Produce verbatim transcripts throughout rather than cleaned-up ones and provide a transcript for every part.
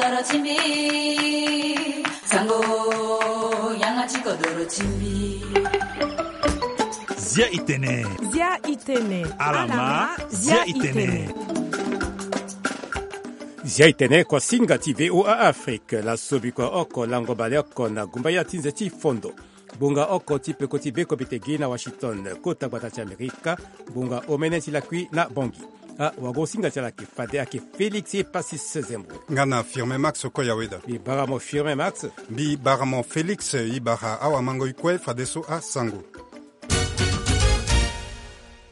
Doro ti mbi, sango, yanga ti kodoro ti mbi. Zia itene. Zia itene. Alama, zia itene. Zia itene kuasinga ti V O A Afrique, laso bikua oko lango baleoko na gumbaya ti nze ti fondo. Ngbonga oko ti peko ti be komite gi na Washington, kota gbata ti Amerika, ngbonga omene ti lakui na Bangui. Ah, wagosinga ti ala ayeke fade ayeke Félix Epasis Zembo. Nga na Firmin Max Okoya Weda. Mbi bara mo Firmin Max. Mbi bara mo Félix, e bara awamango e kue fadeso asango.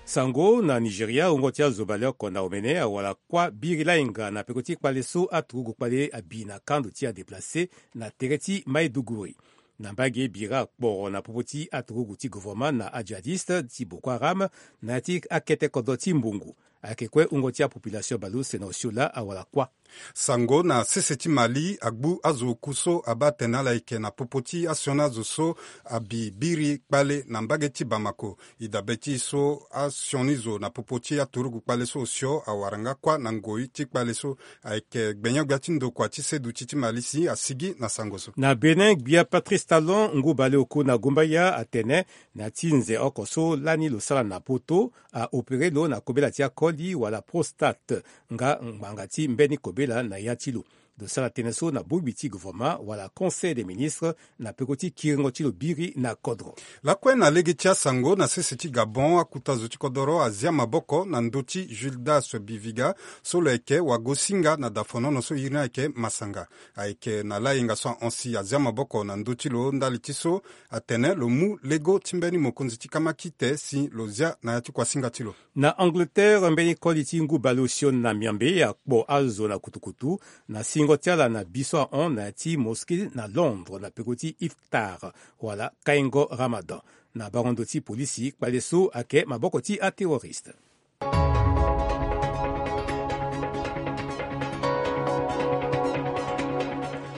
Sango na Nigeria, wungo ti azo baleoko na omene awara kuâ biri lahinga na peko ti kpale so aturugu kpale abi na kando ti adeplace na tere ti Maiduguri. Na mbage bira akporo na popo ti aturugu ti gouvernement na ajihadiste ti Boko Haram na ya ti akete kodro ti mbungu. Ayeke kue wungo ti apopulation baleuse na osio laa awara kuâ. Sango na sese ti Mali agbu azo oku so abaa atene ala yeke na popo ti asioni azo so abi biri kpale na mbage ti Bamako. E dabe ti e so asioni zo na popo ti aturugu kpale so osio awara nga kuâ na ngoi ti kpale so. Ayeke gbenyo-gbia ti ndokua ti seduti ti Mali si asigi na sango so. Na Bénin, gbia Patrice Talon ngu baleoko oku na gumbaya atene na ya ti nze oko so lani lo sara na poto, aopéré lo na kobela ti akoli wala prostate, nga ngbanga ti mbeni kobela na ya ti lo. Lo sara tënë so na bongbi ti gouvernement wala Conseil des ministres na peko ti kiringo ti lo biri na kodro. Lakue na lege ti asango na sese ti Gabon, akuta zo ti kodoro azia maboko na ndö ti Gildas Biviga so lo yeke wagosinga na dafonono so iri ni ayeke Masanga. Ayeke na lahinga so ahon si azia maboko na ndö ti lo ndali ti so atene lo mu lego ti mbeni mokonzi ti kamakite si lo zia na ya ti kuasinga ti lo. Na Angleterre, mbeni koli ti ngu baleosio na Miambe akpo azo na kutukutu na singo ti ala na bi so ahon na ya ti mosquée na Londres na peko ti iftar wala kaingo Ramadan. Na bango ndo ti polisi, kpale so ayeke maboko ti aterroriste.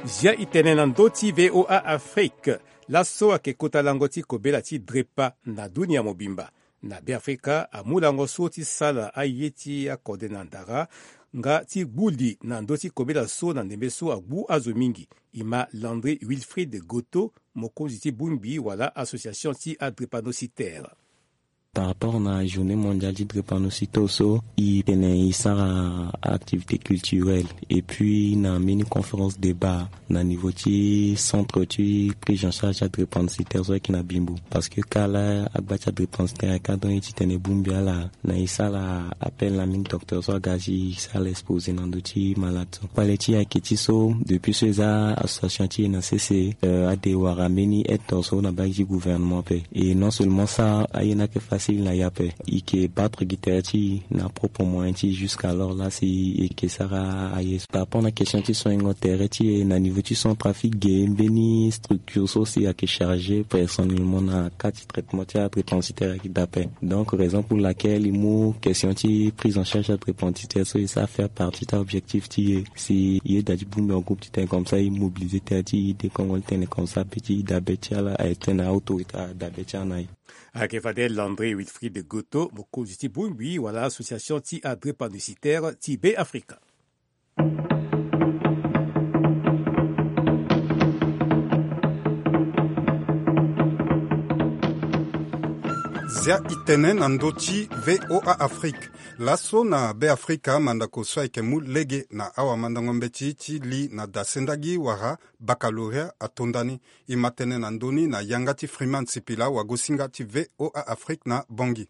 Zia itene na ndö ti V O A Afrique. Laso ayeke kota lango ti kobela ti drepa na dunia mobimba. Na Beafrika amu lango so ti sala aye ti akode na ndara nga ti gbu li na ndö ti kobela so na ndembe so agbu azo mingi. E ma Landry Wilfried Goto, mokonzi ti bongbi wala association ti adrepanocitaire. Par rapport na journée mondiale ti drépanocytose so, e tene e sara activité culturelle et puis na mbeni conférence débat na niveau ti centre ti prise en charge ti adrépanocytaire so ayeke na Bimbo. Parce que kâ laa agba ti adrépanocytaire ayeke adon ye ti tene bongbi ala, na e sara appel na mbeni docteur so aga ti sara exposé na ndö ti malade so. Kpale ti e ayeke ti so, depuis so e za association ti e na sese, euh, ade wara mbeni aide so na mbage ti gouvernement ape. Et non seulement ça, aye ni ayeke facile na e ape. E yeke battre gi tere ti e na propre moyen ti e jusqu'alors laa si e yeke sara aye so. Par rapport na question ti soigngo tere ti e na niveau ti centrafrique ge, mbeni structure so si ayeke chargé personnellement na cas ti traitement ti adrépanocytaire ayeke daa ape. Donc raison pour laquelle e mu question ti prise en charge adrépanocytaire so e sara faire partie ti a-objectif ti e. Si e yeda ti bongbi en groupe ti tene comme ça e mobiliser tere ti e, e de kongo ti tene comme ça pe ti e dabe ti ala aye ti tene autorité adabe ti ala na e. Ayeke fade Landry Wilfried Goto, mokonzi ti bongbi wala association ti adrépanocytaire ti Beafrika. Zia itene na ndö ti V O A Afrique. Laso na Beafrika, mandako so ayeke mu lege na awamandango mbeti ti li na dasendagi wala baccalauréat atonda ni. E ma tënë na ndö ni na yanga ti Freeman Sipila, wagosinga ti V O A Afrique na Bangui.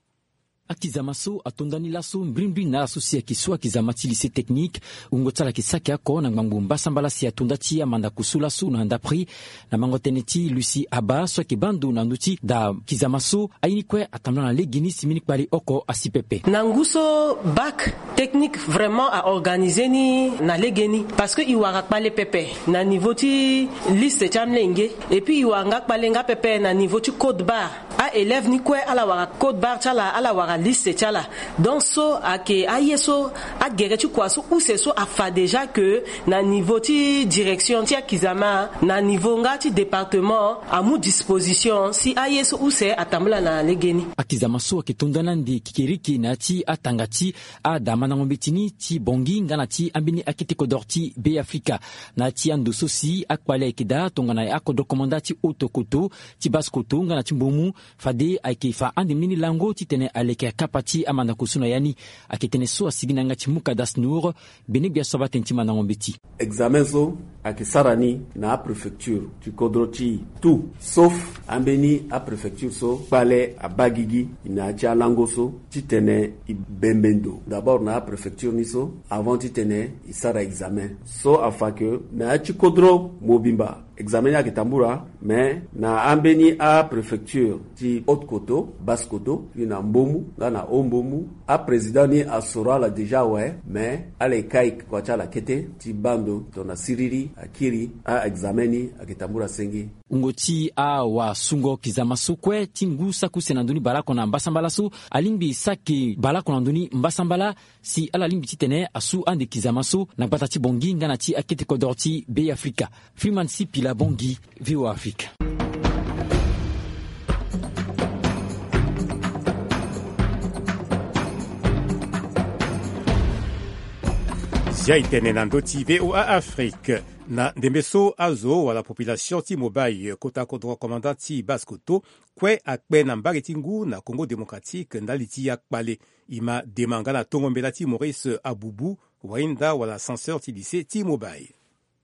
Akizama so atonda ni laso mbrimbri na ala so si ayeke so akizama ti lycée technique. Wungo ti ala ayeke saki oko na ngbangbo mbasambala si atonda ti amandako so laso na ndapri na mango tënë ti Lucie Abba so ayeke baa ndo na ndö ti da kizama so. Aye ni kue atambula na legeni si mbeni kpale oko asi pepe. Na ngu so bac technique vraiment a organiser ni na legeni, parce que e wara kpale pepe na niveau ti liste ti amolenge, et puis e wara nga kpale nga pepe na niveau ti code barre. Aélève ni kue ala wara code barre ti ala, ala wara liste ti ala. Donc so ayeke aye so agere ti kua so use so afa déjà que na niveau ti direction ti akizama, na niveau nga ti département amu disposition si aye so use atambula na legeni. Akizama so ayeke tonda na ande kikiriki na ya ti atanga ti adamandango mbeti ni ti bongi nga na ti ambeni akete kodro ti Be Afrika. Na ya ti ando so si akpale ayeke daa tongana akodro komanda ti oto koto ti bas koto nga na ti mbomu, fade ayeke fa ande mbeni lango titene aleke akapa ti amandako so na ya ni. Ayeke tene so asigi na yanga ti Mukadas Nour. Gbene gbia so abatene ti mandango mbeti. Examen so ayeke sara ni na apréfecture ti kodro ti e tout sauf ambeni apréfecture so kpale abaa gigi na ya ti alango so titene e bembe ndo d'abord na apréfecture ni so avant titene e sara examen. So afa ke na ya ti kodro mobimba examen ni ayeke tambula, mais na ambeni apréfecture ti haute koto, basse koto, ti na mbomu nga na haut mbomu, aprésident ni asoro ala déjà awe, mais ala ye kai kua ti ala kete ti baa ndo tongana siriri akiri aexamen ni ayeke tambula senge. Wungo ti awasungo kizama so kue ti ngu saki use na ndö ni baleoko na mbasambala so alingbi saki baleoko na ndö ni mbasambala, si ala lingbi titene asu ande kizama so na gbata ti bongi nga na ti akete kodro ti Be Afrika. Freeman Sipila Bongi, V O A Afrika. Zia e tene na ndö ti V O A Afrique. Na ndembe so azo wala population ti Mobaye, kota kodro commandant ti Basse Koto, kue akpe na mbage ti ngu na Congo Démocratique ndali ti akpale. E ma dema nga na tongo mbela ti Maurice Abubu, wahinda wala censeur ti lycée ti Mobaye.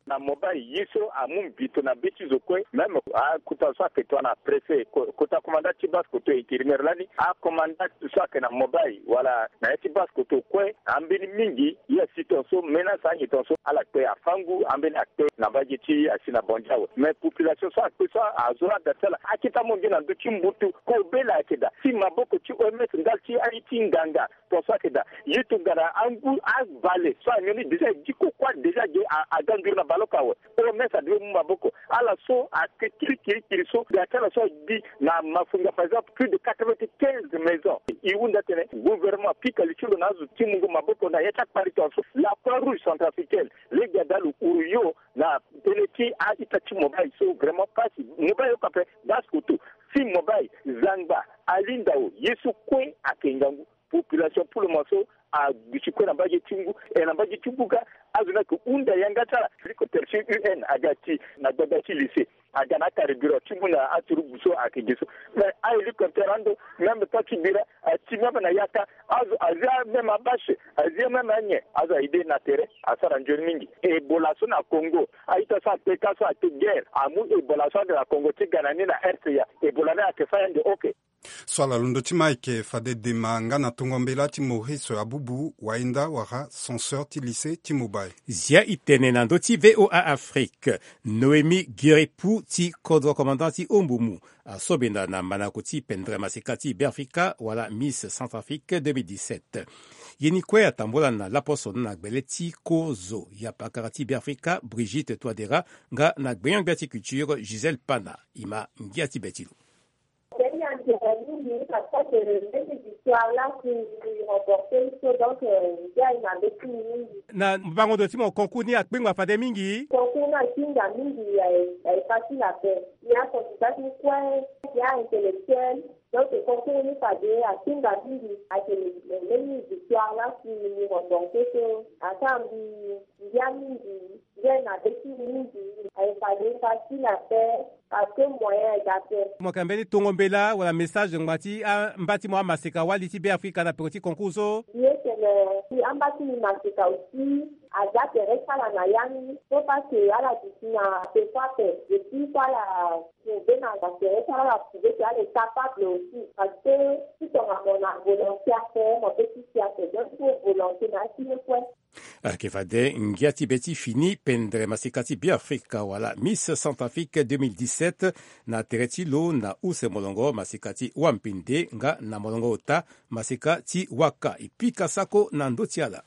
Na Mobaye ye so amu mbito na be ti zo kue, même akota so ayeke tongana préfet, ko-, kota commandant ti Basse Koto intérimaire lani, acommandant so ayeke na Mobaye wala na ya ti Basse Koto kue, ambeni mingi ye asi tongaso, menace anyen tongaso, ala kpe afangu, ambeni akpe na mbage ti asi na Bondiawe. Mais population so akpe so azo la da ti ala akita mo nge na ndö ti mbutu, kobela ayeke daa, ti maboko ti O M S ndali ti aye ti nganga. Tongaso ayeke daa, ye tongana angu avale so anyon ni déjà e diko kuâ déjà ge a, aga nduru na baleoko awe. O M S adevi mu maboko. Ala so ayeke kiri kiri kiri so, ga ti ala so agbi na Mafunga, par exemple, plus de quatre-vingt-quinze maisons. E hunda tene gouvernement apika li ti lo na azo ti mungo maboko na ya ti akpale tongaso. La Croix Rouge centrafricaine, lege ada lo huru yo na tënë ti a-ita ti Mobaye so vraiment pasi. Mobaye oka ape, Basse Koto, Sime Mobaye, Zangba, Alindao, ye so kue ayeke ngangu. Population pour le moment so aduti kue na mbage ti ngu, e na mbage ti buka, azo ni ayeke hunda yanga ti ala. Hélicoptère ti U N aga ti na gbagba ti lycée, aga na acarburant ti mu na aturugu so ayeke ge so. Mais ahélicoptère ando, même pas ti bira, ati même na yaka, azo azia même abâche, azia même anyen, azo aide na tere, asara nzoni mingi. Ebola so na Congo, a-ita so akpe ka so ayeke guerre, amu Ebola so ande na Congo ti ga na ni na R C A. Ebola ni ayeke fâ ande, ok. So ala londo ti ma ayeke fade dema nga na tongo mbela ti Maurice Abubu, wahinda wala censeur ti lycée ti Mobaye. Zia e tene na ndö ti V O A Afrique. Noémie Guiripou ti kodro commandant ti Ombumu asobenda na manako ti pendre maseka ti Beafrika wala Miss Centrafrique deux mille dix-sept. Ye ni kue atambula na laposo na gbele ti kozo ya pakara ti Beafrika Brigitte Touadéra nga na gbenyo-gbia ti culture Gisèle Pana. E ma ngia ti be ti lo. Ndenge ande mingi parce que mbeni victoire la si remporté so, donc, euh, ngia e mabe ti mbi mingi. Na bango ndo ti mo, concours ni akpingba fade mingi? Concours ni akpingba mingi, eh, eh, facile ape. Ni aconsultation kue, ni aintellectuel. Donc concours ni fade akpingba mingi, ayeke mbeni victoire la si mbi remporté so asara mbi ngia mingi. Ngia e mabe ti mbi mingi, e fade facile ape, parce que moyen ayeke ape. Mo yeke na mbeni tongo mbela wala message ngbanga ti amba ti mo amaseka wali ti Beafrika na peko ti concours so? Mbi ye tene si amba ti mbi maseka aussi, aza tere ti ala na ya ni, so parce que ala duti na peko ape, et puis so ala prouvé na tere ti ala, ala prouvé que ala est capable aussi, parce que si tongana mo na volonté ape, mo peut ti si ape, donc il faut volonté na ya ti ye kue. Ayeke fade ngia ti be ti fini pendre maseka ti Beafrika wala Miss Centrafrique deux mille dix-sept na tere ti lo na use molongo maseka ti Wampende nga na molongo ota maseka ti Waka. E pika sako na ndö ti ala.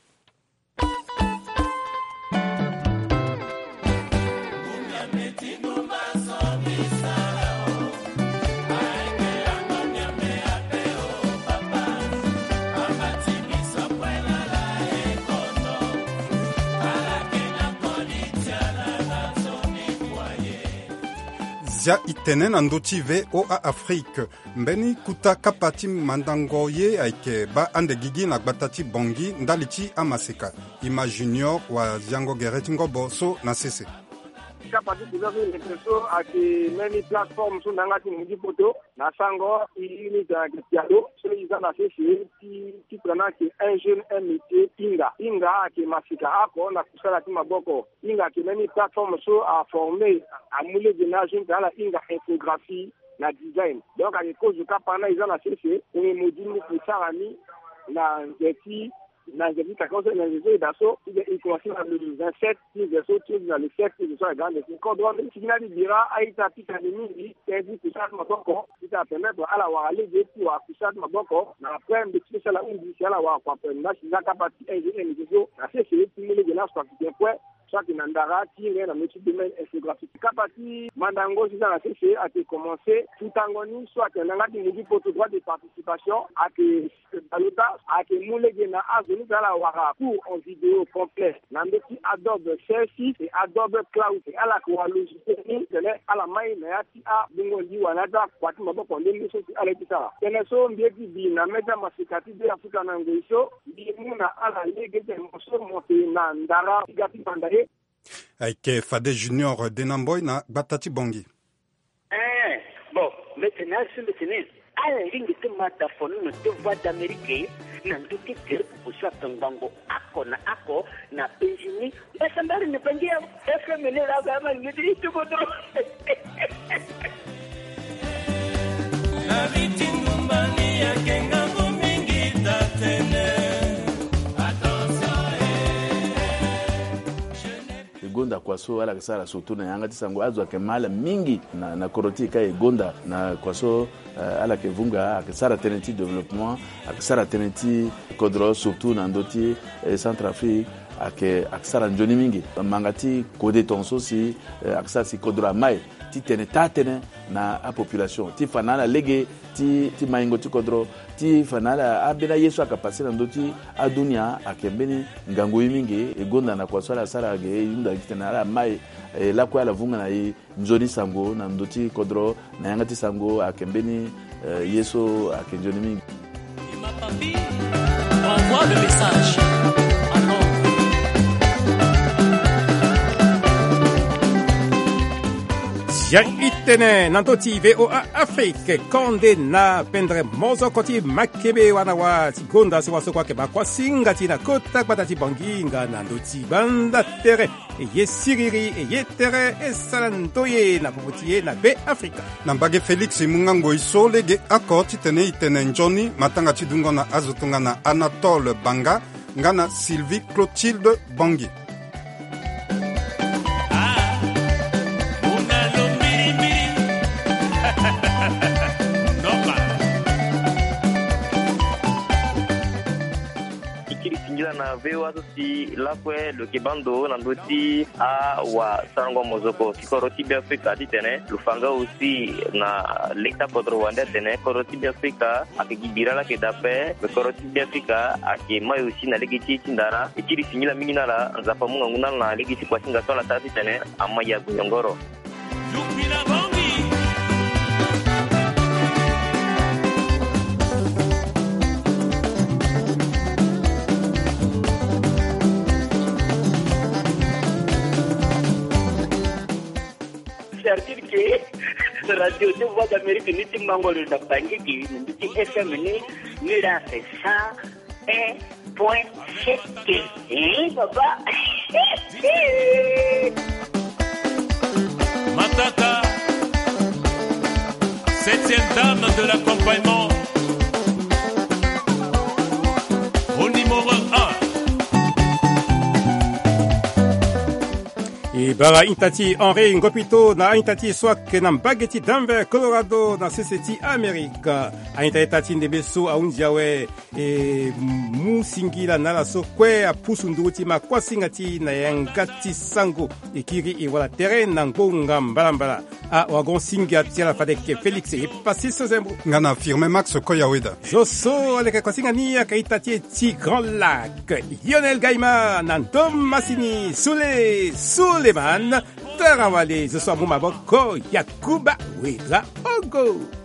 Zia itene na ndö ti V O A Afrique. Mbeni kuta kapa ti mandango ye ayeke baa ande gigi na gbata ti Bangui ndali ti amaseka. Ima Junior waziango gere ti ngobo so na sese. Kapa ti kuta so yeke so ayeke mbeni plateforme so na yanga ti mundu ti poto. Na sango i ni tene ayeke pialo so i za na sese ti, ti tene ayeke un jeune un métier, hinga. Hinga ayeke maseka oko na kusala ti maboko. Hinga ayeke mbeni plateforme so aforme, amu lege na ajeune ti ala hinga infographie na design. Donc ayeke kozo kapa na i za na sese, e mo di mo kusara ni na nze ti, na nze ti kaka so na nze so e daa so, ti tene e komanse na le vingt-sept ti nze so ti na le sept ti nze so ayeke ande ti kodro. Ti gi na ti bira a-ita ti tene mingi tënë ti kusara ti maboko, ti tene apermettre ala wara lege ti wara kusara ti maboko. Na après mbi ti sala hunzi si ala wara kua ape na si za kapa ti ingénieur so na sese ti mu lege na aso ayeke bien kue. So ayeke na ndara ti hinga na ndö ti domaine infographique. Kapa ti mandango si za na sese ayeke commencé futango ni so ayeke na yanga ti mundu ti poto droit de participation ayeke baleota, ayeke mu lege na azo ni tene ala wara cours en vidéo complet na ndö ti Adobe C S six et Adobe Cloud. Et ala yeke wara logiciel ni tene ala mai na ya ti abungo liwa na ya ti akua ti maboko nde nde so si ala ye ti sara. Tënë so mbi ye ti bi na mê ti amaseka ti Be Afrika na ngoi so, mbi mu na ala lege ti tene mo so mo yeke na ndara ti ga ti banda ye. Ayeke fade Junior Denamboi na gbata ti Bangui. Eh, bon, mbi tene azo so mbi tene ala lingbi ti ma da fono na ndö ti Voix d'Amérique na ndö ti gere pupu so ayeke ngbongo oko na oko na États-Unis. Mbasambari na Bangui ya F M ni la ga ma ni ti tubo dro. Na miti ndumba ni ayeke ngangu mingi tatene. Attention, eh, eh. E gonda kua so ala yeke sara surtout na yanga ti sango, azo ayeke ma ala mingi na, na kodro ti e ka e gonda na kua so, eh, ala yeke vunga, ayeke sara tënë ti développement, ayeke sara tënë ti kodro surtout na ndö ti, eh, Centrafrique, ayeke, ayeke sara nzoni mingi. Manga ti kode tongaso si, eh, ayeke sara si kodro amai ti tene taa tënë na apopulation ti fa na ala lege ti, ti maingo ti kodro, ti fa na ala ambeni aye so ayeke pase na ndö ti adunia ayeke mbeni ngangu ye mingi. E gonda na kua so ala sara ge e hunda gi titene ala mai, e lakue ala vunga na e nzoni sango na ndö ti kodro na yanga ti sango ayeke mbeni, eh, ye so ayeke nzoni mingi. Envoie le message à Londres. Zia itene na ndö ti V O A Afrique, konde na pendre mozoko ti makebe wana wa ti gonda so wa so kua yeke ba kuasinga ti na kota gbata ti Bangui nga na ndö ti banda tere. E ye siriri, e ye tere, e sara ndoye na popo ti e na Be Afrika. Na mbage Félix e mu nga ngoi so lege oko titene e tene nzoni matanga ti dungo na azo tongana Anatole Banga nga na Sylvie Clotilde Bangui. E kiri singila na V O A so si lakue lo yeke baa ndo na ndö ti awasarango mozoko ti kodro ti Be Afrika titene lo fa nga aussi na leta kodro wande atene kodro ti Be Afrika ayeke gi bira laa ayeke daa ape. Me kodro ti Be Afrika ayeke mai aussi na lege ti e ti ndara. E kiri singila mingi na ala, Nzapa amu ngangu na ala na lege ti kuasinga so ala sara titene amai ague yongoro. Certitude que radio de Voix d'Amérique ni ti mango lo na Bangui, ni ti F M ni, ni la fait ça. Un point sept. Hein, papa? Matata, septième dame de l'accompagnement. Au numéro un. E bara a-ita ti Henri Ngopito na a-ita ti e so ayeke na mbage ti Denver, Colorado, na sese ti Amerika. A-ita ita ti ndembe so ahunzi awe. E mu singila na ala so kue apusu nduru ti ma kuasinga ti e na yanga ti sango. E kiri e wala tere na ngbonga mbalambala. Awagon singa ti ala fade yeke Félix Epassis Zembo nga na Firmin Max Koyaweda. Zo so aleke kuasinga ni ayeke ita ti e ti Grand Lac, Lionel Gaïma na ndo masini Soulé Souleymane. Sara wale zo so amu maboko Yakuba Wedra Ogo.